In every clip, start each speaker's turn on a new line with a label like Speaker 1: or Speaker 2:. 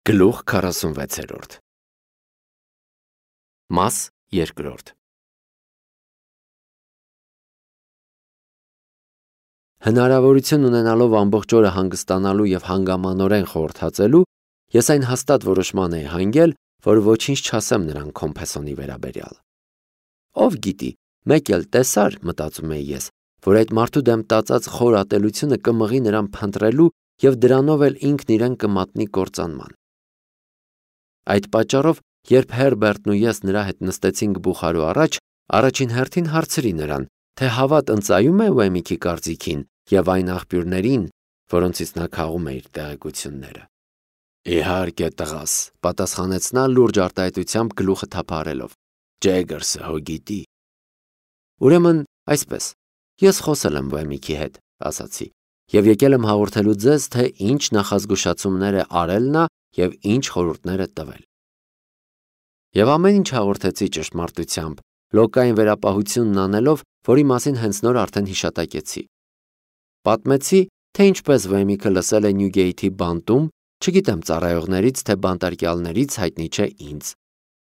Speaker 1: Գլուխ 46 Մաս 2 Հնարավորություն ունենալով ամբողջ օրը հանգստանալու և հանգամանորեն խորհրդածելու, ես այն հաստատ որոշման էի հանգել, որ ոչինչ չասեմ նրան Կոմփեսոնի վերաբերյալ։ Ով գիտի, մեկ էլ տեսար, մտածում էի ես, որ այդ մարդու դեմ տածած խոր ատելությունը կմղի նրան փնտրելու և դրանով էլ ինքն իրեն կմատնի կործանման։ Այդ պատճառով, երբ Հերբերտն ու ես նրա հետ նստեցինք բուխարու առաջ, առաջին հերթին հարցրի նրան, թե հավատ ընծայում է Ուեմիքի կարծիքին և այն աղբյուրներին, որոնցից նա քաղում է իր տեղեկությունները։ Իհարկե տղաս, պատասխանեց նա լուրջ արտահայտությամբ գլուխը թափահարելով։ Ջեգերսը հո գիտի։ Ուրեմն այսպես, ես խոսել եմ Ուեմիքի հետ, ասացի, և եկել եմ հաղորդելու ձեզ, թե ինչ նախազգուշացումներ է արել նա և ինչ խորհուրդներ է տվել։ Եվ ամեն ինչ հաղորդեցի ճշմարտությամբ, լոկային վերապահությունն անելով, որի մասին հենց նոր արդեն հիշատակեցի։ Պատմեցի, թե ինչպես Ուեմիքը լսել է Նյուգեյթի բանտում, չգիտեմ ծառայողներից, թե բանտարկյալներից հայտնի չէ ինձ,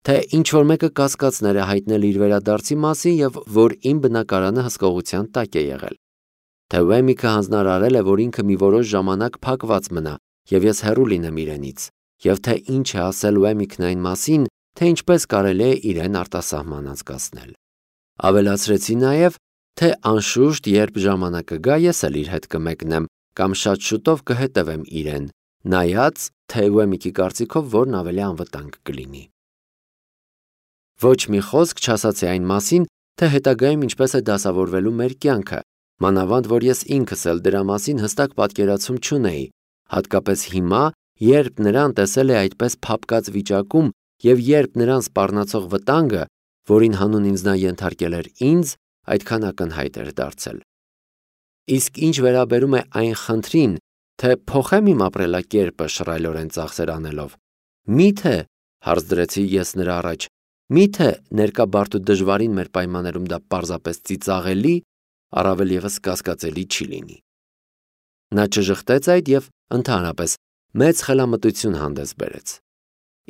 Speaker 1: թե ինչ-որ մեկը կասկածներ է հայտնել իր վերադարձի մասին և որ իմ բնակարանը հսկողության տակ է եղել, թե Ուեմիքը հանձնարարել է, որ ինքը մի որոշ ժամանակ փակված մնա և ես հեռու լինեմ իրենից, և թե ինչ է ասել Ուեմիքն այն մասին, թե ինչպես կարելի է իրեն արտասահման անցկացնել։ Ավելացրեցի նաև, թե անշուշտ, երբ ժամանակը գա, ես էլ իր հետ կմեկնեմ կամ շատ շուտով կհետևեմ իրեն, նայած, թե Ուեմիքի կարծիքով որն ավելի անվտանգ կլինի։ Ոչ մի խոսք չասացի այն մասին, թե հետագայում ինչպես է դասավորվելու մեր կյանքը, մանավանդ որ ես ինքս էլ դրա մասին հստակ պատկերացում չունեի, հատկապես հիմա, երբ նրան տեսել է այդպես փափկած վիճակում և երբ նրան սպառնացող վտանգը, որին հանուն ինձ նա ենթարկել էր ինձ, այդքան ակնհայտ էր դարձել։ Իսկ ինչ վերաբերում է այն խնդրին, թե փոխեմ իմ ապրելակերպը շռայլորեն ծախսեր անելով, միթե, հարց դրեցի ես նրա առաջ, միթե ներկա բարդ ու դժվարին մեր պայմաններում դա պարզապես ծիծաղելի, առավել ևս կասկածելի չի լինի։ Նա չժխտեց այդ և ընդհանրապես մեծ խելամտություն հանդես բերեց։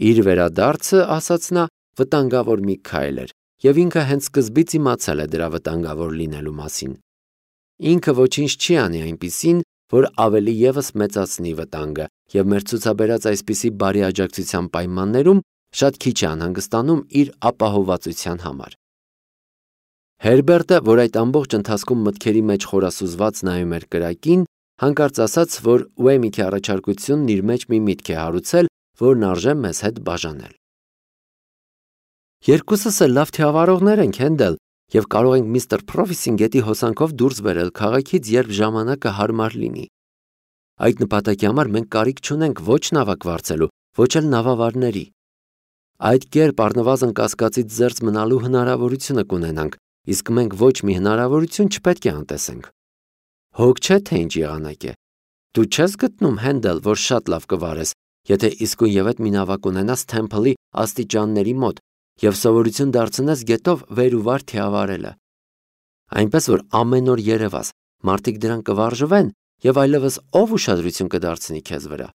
Speaker 1: Իր վերադարձը, ասաց նա, վտանգավոր մի քայլ էր, և ինքը հենց սկզբից իմացել է դրա վտանգավոր լինելու մասին։ Ինքը ոչինչ չի անի այնպիսին, որ ավելի ևս մեծացնի վտանգը, և մեր ցուցաբերած այսպիսի բարի աջակցության պայմաններում շատ քիչ է անհանգստանում իր ապահովվածության համար։ Հերբերտը, որ այդ ամբողջ ընթացքում մտքերի մեջ խորասուզված նայում էր կրակին, հանկարծ ասաց, որ Ուեմիքի առաջարկությունն իր մեջ մի միտք է հարուցել, որն արժե մեզ հետ բաժանել։ Երկուսս էլ լավ թիավարողներ ենք, Հենդել, և կարող ենք միստր Փրոֆիսին գետի հոսանքով դուրս բերել քաղաքից, երբ ժամանակը հարմար լինի։ Այդ նպատակի համար մենք կարիք չունենք ոչ նավակ վարձելու, ոչ էլ նավավարների։ Այդ կերպ առնվազն կասկածից զերծ մնալու հնարավորությունը կունենանք, իսկ մենք ոչ մի հնարավորություն չպետք է անտեսենք։ Հոգ չէ, թե ինչ եղանակ է։ Դու չես գտնում, Հենդել, որ շատ լավ կվարես, եթե իսկույնևեթ մի նավակ ունենաս Թեմփլի աստիճանների մոտ և սովորություն դարձնես գետով վեր ու վար թիավարելը։ Այնպես որ ամեն օր երևաս, մարդիկ դրան կվարժվեն և այլևս ով ուշադրություն կդարձնի քեզ վրա։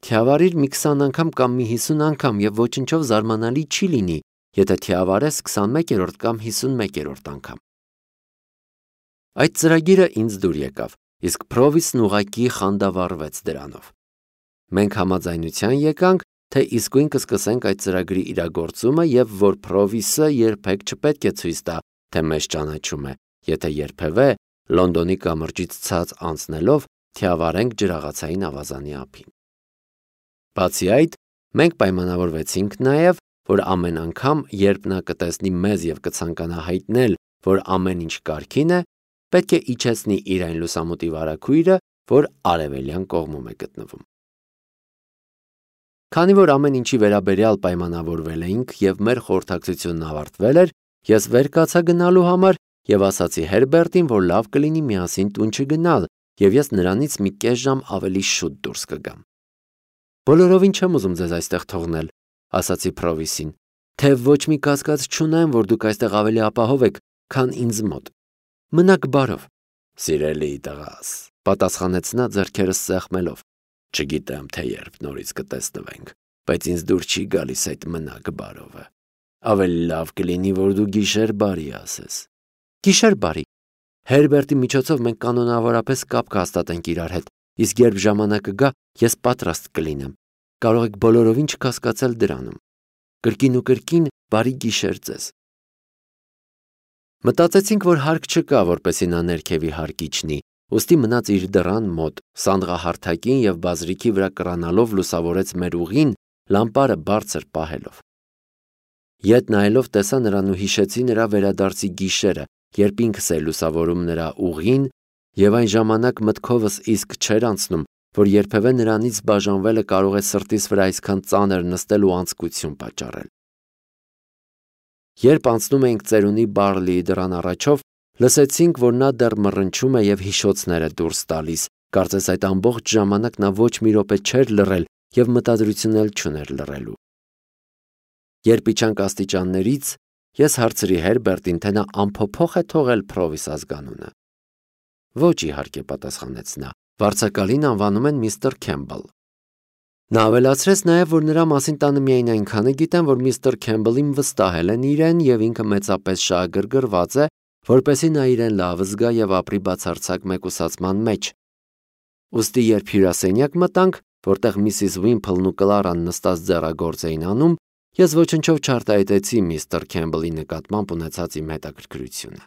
Speaker 1: Թիավարիր մի 20 անգամ կամ մի 50 անգամ և ոչնչով զարմանալի չի լինի, եթե թիավարես 21-րդ կամ 51-րդ անգամ։ Այդ ծրագիրը ինձ դուր եկավ, իսկ Փրովիսն ուղղակի խանդավառվեց դրանով։ Մենք համաձայնության եկանք, թե իսկույն կսկսենք այդ ծրագրի իրագործումը և որ Փրովիսը երբեք չպետք է ցույց տա, թե մեզ ճանաչում է, եթե երբևէ Լոնդոնի կամրջից ցած անցնելով թիավարենք ջրաղացային ավազանի ափին։ Բացի այդ, մենք պայմանավորվեցինք նաև, որ ամեն անգամ, երբ նա կտեսնի մեզ և կցանկանա հայտնել, որ ամեն ինչ կարգին է, պետք է իջեցնի իր այն լուսամուտի վարագույրը, որ արևելյան կողմում է գտնվում։ Քանի որ ամեն ինչի վերաբերյալ պայմանավորվել էինք և մեր խորհրդակցությունն ավարտվել էր, ես վեր կացա գնալու համար և ասացի Հերբերտին, որ լավ կլինի միասին տուն չգնալ, և ես նրանից մի կես ժամ ավելի շուտ դուրս կգամ։ Բոլորովին չեմ ուզում ձեզ այստեղ թողնել, ասացի Փրովիսին, թե ոչ մի կասկած չունեմ, որ դուք այստեղ ավելի ապահով եք, քան ինձ մոտ։ Մնաք բարով։ Սիրելի տղաս, պատասխանեց նա ձեռքերս սեղմելով։ Չգիտեմ, թե երբ նորից կտեսնվենք, բայց ինձ դուր չի գալիս այդ մնակ բարովը։ Ավելի լավ կլինի, որ դու գիշեր բարի ասես։ Գիշեր բարի։ Հերբերտի միջոցով մենք կանոնավորապես կապ կհաստատենք իրար հետ, իսկ երբ ժամանակը գա, ես պատրաստ կլինեմ։ Կարող եք բոլորովին չկասկածել դրանում։ Կրկին ու կրկին բարի գիշեր ձեզ։ Մտածեցինք, որ հարկ չկա, որպեսզի նա ներքևի հարկ իջնի, ուստի մնաց իր դռան մոտ, սանդղահարթակին և բազրիքի վրա կռանալով լուսավորեց մեր ուղին, լամպարը բարձր պահելով։ Ետ նայելով տեսա նրան ու հիշեցի նրա վերադարձի գիշերը, երբ ինքս էի լուսավորում նրա ուղին, և այն ժամանակ մտքովս իսկ չէր անցնում, որ երբևէ նրանից բաժանվելը կարող է սրտիս վրա այսքան ծանր նստել ու անձկություն պատճառել։ Երբ անցնում էինք ծերունի Բարլիի դռան առաջով, լսեցինք, որ նա դեռ մռնչում է և հիշոցներ է դուրս տալիս, կարծես այդ ամբողջ ժամանակ նա ոչ մի րոպե չէր լռել և մտադրություն էլ չուներ լռելու։ Երբ իջանք աստիճաններից, ես հարցրի Հերբերտին, թե նա անփոփոխ է թողել Փրովիս ազգանունը։ Ոչ, իհարկե, պատասխանեց նա, վարձակալին անվանում են միստր Քեմբլ։ Նա ավելացրեց նաև, որ նրա մասին տանը միայն այնքանը գիտեն, որ միստր Քեմբլին վստահել են իրեն և ինքը մեծապես շահագրգռված է, որպեսզի նա իրեն լավ զգա և ապրի բացարձակ մեկուսացման մեջ։ Ուստի երբ հյուրասենյակ մտանք, որտեղ միսիս Վիմփլն ու Կլարան նստած ձեռագործ էին անում, ես ոչնչով չարտահայտեցի միստր Քեմբլի նկատմամբ ունեցած իմ հետաքրքրությունը։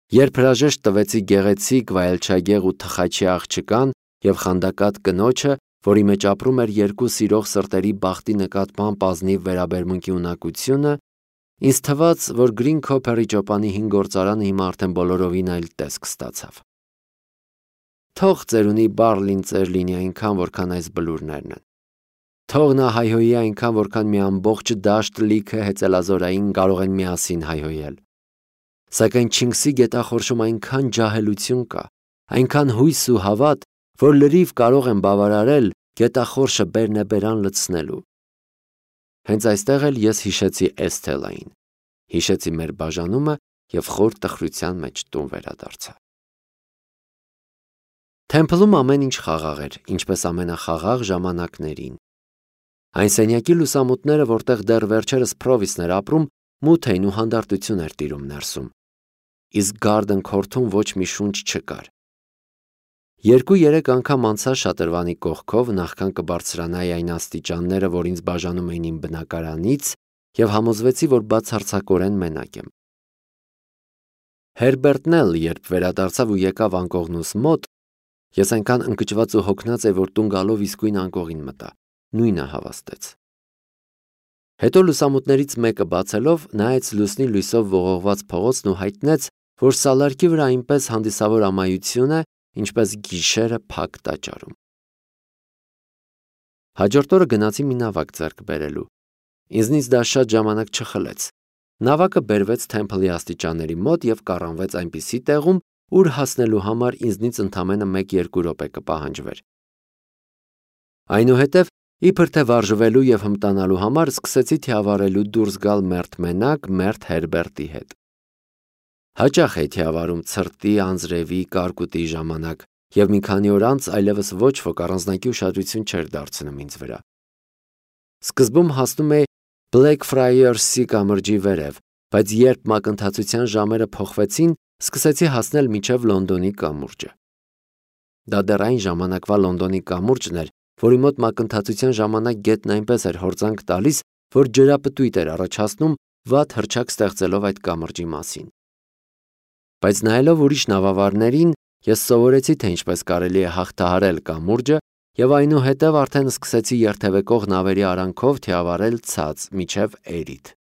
Speaker 1: Երբ հրաժեշտ տվեցի գեղեցիկ, վայելչագեղ ու թխաչի աղջկան և խանդակատ կնոջը, որի մեջ ապրում էր երկու սիրող սրտերի բախտի նկատմամբ ազնիվ վերաբերմունքի ունակությունը, ինձ թվաց, որ Գրին Քոփերի ճոպանի հին գործարանը հիմա արդեն բոլորովին այլ տեսք ստացավ։ Թող ծերունի Բարլին ծեր լինի այնքան, որքան այս բլուրներն են։ Թող նա հայհոյի այնքան, որքան մի ամբողջ դաշտ լիքը հեծելազորային կարող են միասին հայհոյել։ Սակայն Չինգսի գետախորշում այնքան ջահելություն կա, այնքան հույս ու հավատ, որ լրիվ կարող են բավարարել գետախորշը բերնեբերան լցնելու։ Հենց այստեղ էլ ես հիշեցի Էսթելային, հիշեցի մեր բաժանումը և խոր տխրության մեջ տուն վերադարձա։ Թեմփլում ամեն ինչ խաղաղ էր, ինչպես ամենախաղաղ ժամանակներին։ Այն սենյակի լուսամուտները, որտեղ դեռ վերջերս Փրովիսն էր ապրում, մութ էին ու հանդարտություն էր տիրում ներսում։ Իսկ Գարդեն Քորթում ոչ մի շունչ չկար։ 2-3 անգամ անցա շատրվանի կողքով, նախքան կբարձրանայի այն աստիճանները, որ ինձ բաժանում էին իմ բնակարանից, և համոզվեցի, որ բացարձակորեն մենակ եմ։ Հերբերտն էլ, երբ վերադարձավ ու եկավ անկողնուս մոտ, ես այնքան ընկճված ու հոգնած էի, որ տուն գալով իսկույն անկողին մտա, նույնը հավաստեց։ Հետո լուսամուտներից մեկը բացելով, նայեց լուսնի լույսով ողողված փողոցն ու հայտնեց, որ սալարկի վրա այնպես հանդիսավոր ամայություն է, ինչպես գիշերը փակ տաճարում։ Հաջորդ օրը գնացի մի նավակ ձեռք բերելու։ Ինձնից դա շատ ժամանակ չխլեց։ Նավակը բերվեց Թեմփլի աստիճանների մոտ և կառանվեց այնպիսի տեղում, ուր հասնելու համար ինձնից ընդամենը 1-2 րոպե կպահանջվեր։ Այնուհետև, իբր թե վարժվելու և հմտանալու համար սկսեցի թիավարելու դուրս գալ մերթ մենակ մերթ Հերբերտի հետ։ Հաճախ էի թիավարում ցրտի, անձրևի, կարկուտի ժամանակ, և մի քանի օր անց այլևս ոչ ոք առանձնակի ուշադրություն չէր դարձնում ինձ վրա։ Սկզբում հասնում էի Բլեքֆրայերսի կամրջի վերև, բայց երբ մակընթացության ժամերը փոխվեցին, սկսեցի հասնել մինչև Լոնդոնի կամուրջը։ Դա դեռ այն ժամանակվա Լոնդոնի կամուրջն էր, որի մոտ մակընթացության ժամանակ գետն այնպես էր հորձանք տալիս, որ ջրապտույտ էր առաջացնում, վատ հռչակ ստեղծելով այդ կամրջի մասին։ Բայց նայելով ուրիշ նավավարներին, ես սովորեցի, թե ինչպես կարելի է հաղթահարել կամուրջը, և այնուհետև արդեն սկսեցի երթևեկող նավերի արանքով թիավարել ցած մինչև Էրիթ։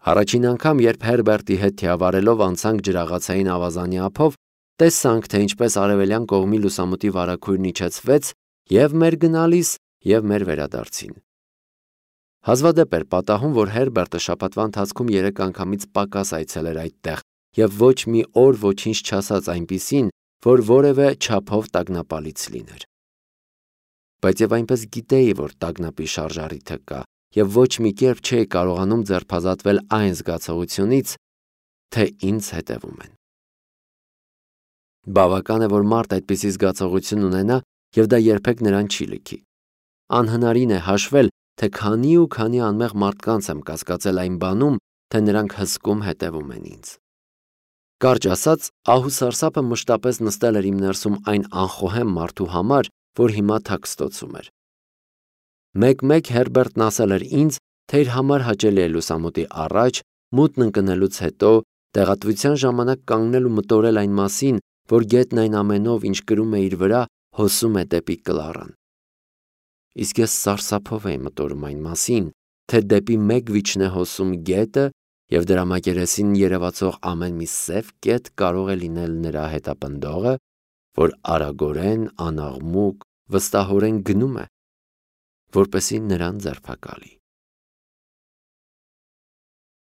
Speaker 1: Առաջին անգամ, երբ Հերբերտի հետ թիավարելով անցանք ջրաղացային ավազանի ափով, տեսանք, թե ինչպես արևելյան կողմի լուսամուտի վարագույրն իջեցվեց և մեր գնալիս, և մեր վերադարձին։ Հազվադեպ էր պատահում, որ Հերբերտը շաբաթվա ընթացքում 3 անգամից պակաս այցելեր այդտեղ և ոչ մի օր ոչինչ չասաց այնպիսին, որ որևէ չափով տագնապալից լիներ։ Բայց և այնպես գիտեի, որ տագնապի շարժառիթը կա, և ոչ մի կերպ չէի կարողանում ձերբազատվել այն զգացողությունից, թե ինձ հետևում են։ Բավական է, որ մարդ այդպիսի զգացողություն ունենա եւ դա երբեք նրան չի լքի։ Անհնարին է հաշվել, թե քանի ու քանի անմեղ մարդկանց եմ կասկածել այն բանում, թե նրանք հսկում հետևում են ինձ։ Կարճ ասած, ահուսարսափը մշտապես նստել էր իմ ներսում այն անխոհեմ մարդու համար, որ հիմա թաքստոցում էր։ Մեկ-մեկ Հերբերտն ասել էր ինձ, թե իր համար հաճելի է լուսամուտի առաջ, մութն ընկնելուց հետո, տեղատվության ժամանակ կանգնել ու մտորել այն մասին, որ գետն այն ամենով, ինչ կրում է իր վրա, հոսում է դեպի Կլարան։ Իսկ ես սարսափով էի մտորում այն մասին, թե դեպի մեկ վիճն է հոսում գետը և դրա մակերեսին երևացող ամեն մի սև կետ կարող է լինել նրա հետապնդողը, որ արագորեն, անաղմուկ, վստահորեն գնում է, որպեսզի նրան ձերբակալի։